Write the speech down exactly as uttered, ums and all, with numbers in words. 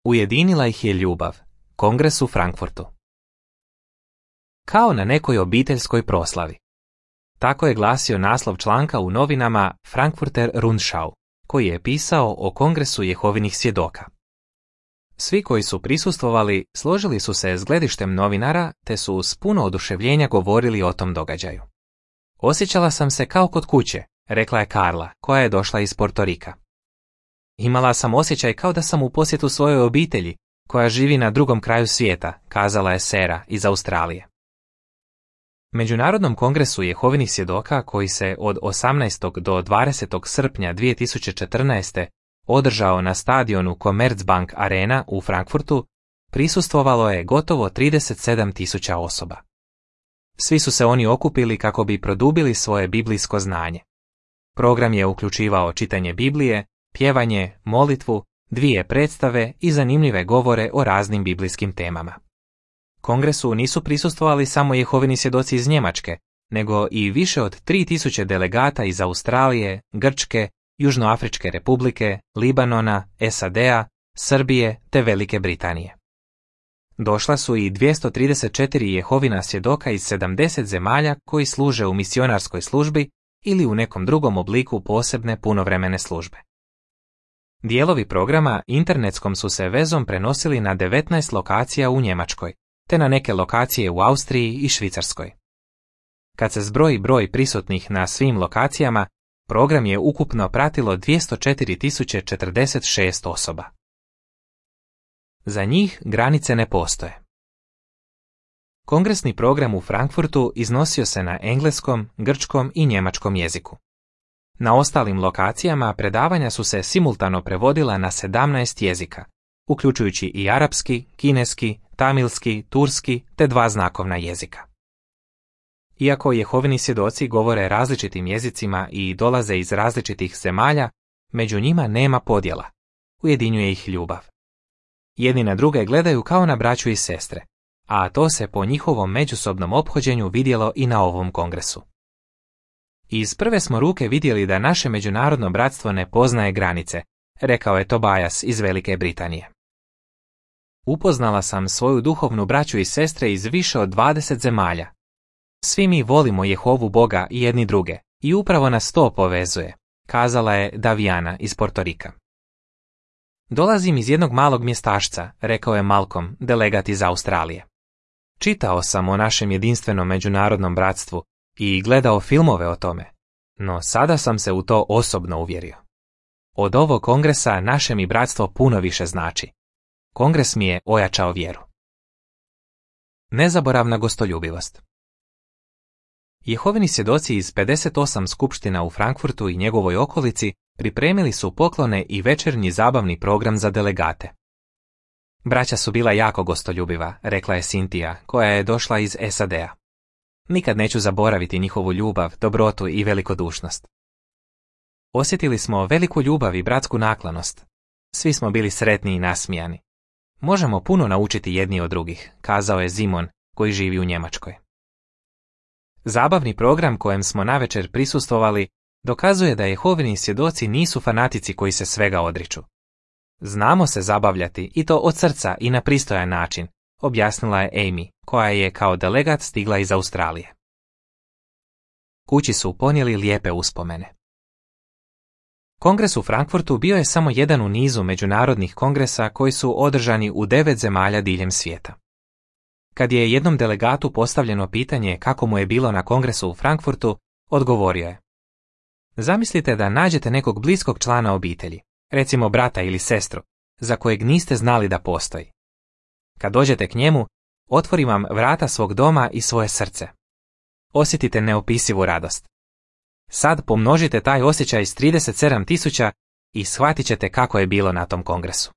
Ujedinila ih je ljubav. Kongres u Frankfurtu. Kao na nekoj obiteljskoj proslavi. Tako je glasio naslov članka u novinama Frankfurter Rundschau, koji je pisao o Kongresu Jehovinih svjedoka. Svi koji su prisustvovali složili su se s gledištem novinara te su s puno oduševljenja govorili o tom događaju. Osjećala sam se kao kod kuće, rekla je Karla, koja je došla iz Portorika. Imala sam osjećaj kao da sam u posjetu svojoj obitelji, koja živi na drugom kraju svijeta, kazala je Sera iz Australije. Međunarodnom kongresu Jehovinih svjedoka, koji se od osamnaestog do dvadesetog srpnja dvije tisuće četrnaeste. održao na stadionu Commerzbank Arena u Frankfurtu, prisustvovalo je gotovo trideset sedam tisuća osoba. Svi su se oni okupili kako bi produbili svoje biblijsko znanje. Program je uključivao čitanje Biblije, pjevanje, molitvu, dvije predstave i zanimljive govore o raznim biblijskim temama. Kongresu nisu prisustvovali samo Jehovini svjedoci iz Njemačke, nego i više od tri tisuće delegata iz Australije, Grčke, Južnoafričke republike, Libanona, S A D-a, Srbije te Velike Britanije. Došla su i dvjesto trideset četiri Jehovina svjedoka iz sedamdeset zemalja koji služe u misionarskoj službi ili u nekom drugom obliku posebne punovremene službe. Dijelovi programa internetskom su se vezom prenosili na devetnaest lokacija u Njemačkoj, te na neke lokacije u Austriji i Švicarskoj. Kad se zbroji broj prisutnih na svim lokacijama, program je ukupno pratilo dvjesto četiri tisuće četrdeset šest osoba. Za njih granice ne postoje. Kongresni program u Frankfurtu iznosio se na engleskom, grčkom i njemačkom jeziku. Na ostalim lokacijama predavanja su se simultano prevodila na sedamnaest jezika, uključujući i arapski, kineski, tamilski, turski te dva znakovna jezika. Iako Jehovini svjedoci govore različitim jezicima i dolaze iz različitih zemalja, među njima nema podjela. Ujedinjuje ih ljubav. Jedni na druge gledaju kao na braću i sestre, a to se po njihovom međusobnom ophođenju vidjelo i na ovom kongresu. Iz prve smo ruke vidjeli da naše međunarodno bratstvo ne poznaje granice, rekao je Tobias iz Velike Britanije. Upoznala sam svoju duhovnu braću i sestre iz više od dvadeset zemalja. Svi mi volimo Jehovu Boga i jedni druge, i upravo nas to povezuje, kazala je Daviana iz Portorika. Dolazim iz jednog malog mjestašca, rekao je Malcolm, delegat iz Australije. Čitao sam o našem jedinstvenom međunarodnom bratstvu i gledao filmove o tome, no sada sam se u to osobno uvjerio. Od ovog kongresa naše mi bratstvo puno više znači. Kongres mi je ojačao vjeru. Nezaboravna gostoljubivost. Jehovini svjedoci iz pedeset osam skupština u Frankfurtu i njegovoj okolici pripremili su poklone i večernji zabavni program za delegate. Braća su bila jako gostoljubiva, rekla je Cynthia, koja je došla iz S A D-a. Nikad neću zaboraviti njihovu ljubav, dobrotu i velikodušnost. Osjetili smo veliku ljubav i bratsku naklonost. Svi smo bili sretni i nasmijani. Možemo puno naučiti jedni od drugih, kazao je Zimon, koji živi u Njemačkoj. Zabavni program kojem smo navečer prisustvovali dokazuje da Jehovini svjedoci nisu fanatici koji se svega odriču. Znamo se zabavljati i to od srca i na pristojan način, objasnila je Amy, koja je kao delegat stigla iz Australije. Kući su ponijeli lijepe uspomene. Kongres u Frankfurtu bio je samo jedan u nizu međunarodnih kongresa koji su održani u devet zemalja diljem svijeta. Kad je jednom delegatu postavljeno pitanje kako mu je bilo na kongresu u Frankfurtu, odgovorio je: Zamislite da nađete nekog bliskog člana obitelji, recimo brata ili sestru, za kojeg niste znali da postoji. Kad dođete k njemu, otvori vam vrata svog doma i svoje srce. Osjetite neopisivu radost. Sad pomnožite taj osjećaj s trideset sedam tisuća i shvatit ćete kako je bilo na tom kongresu.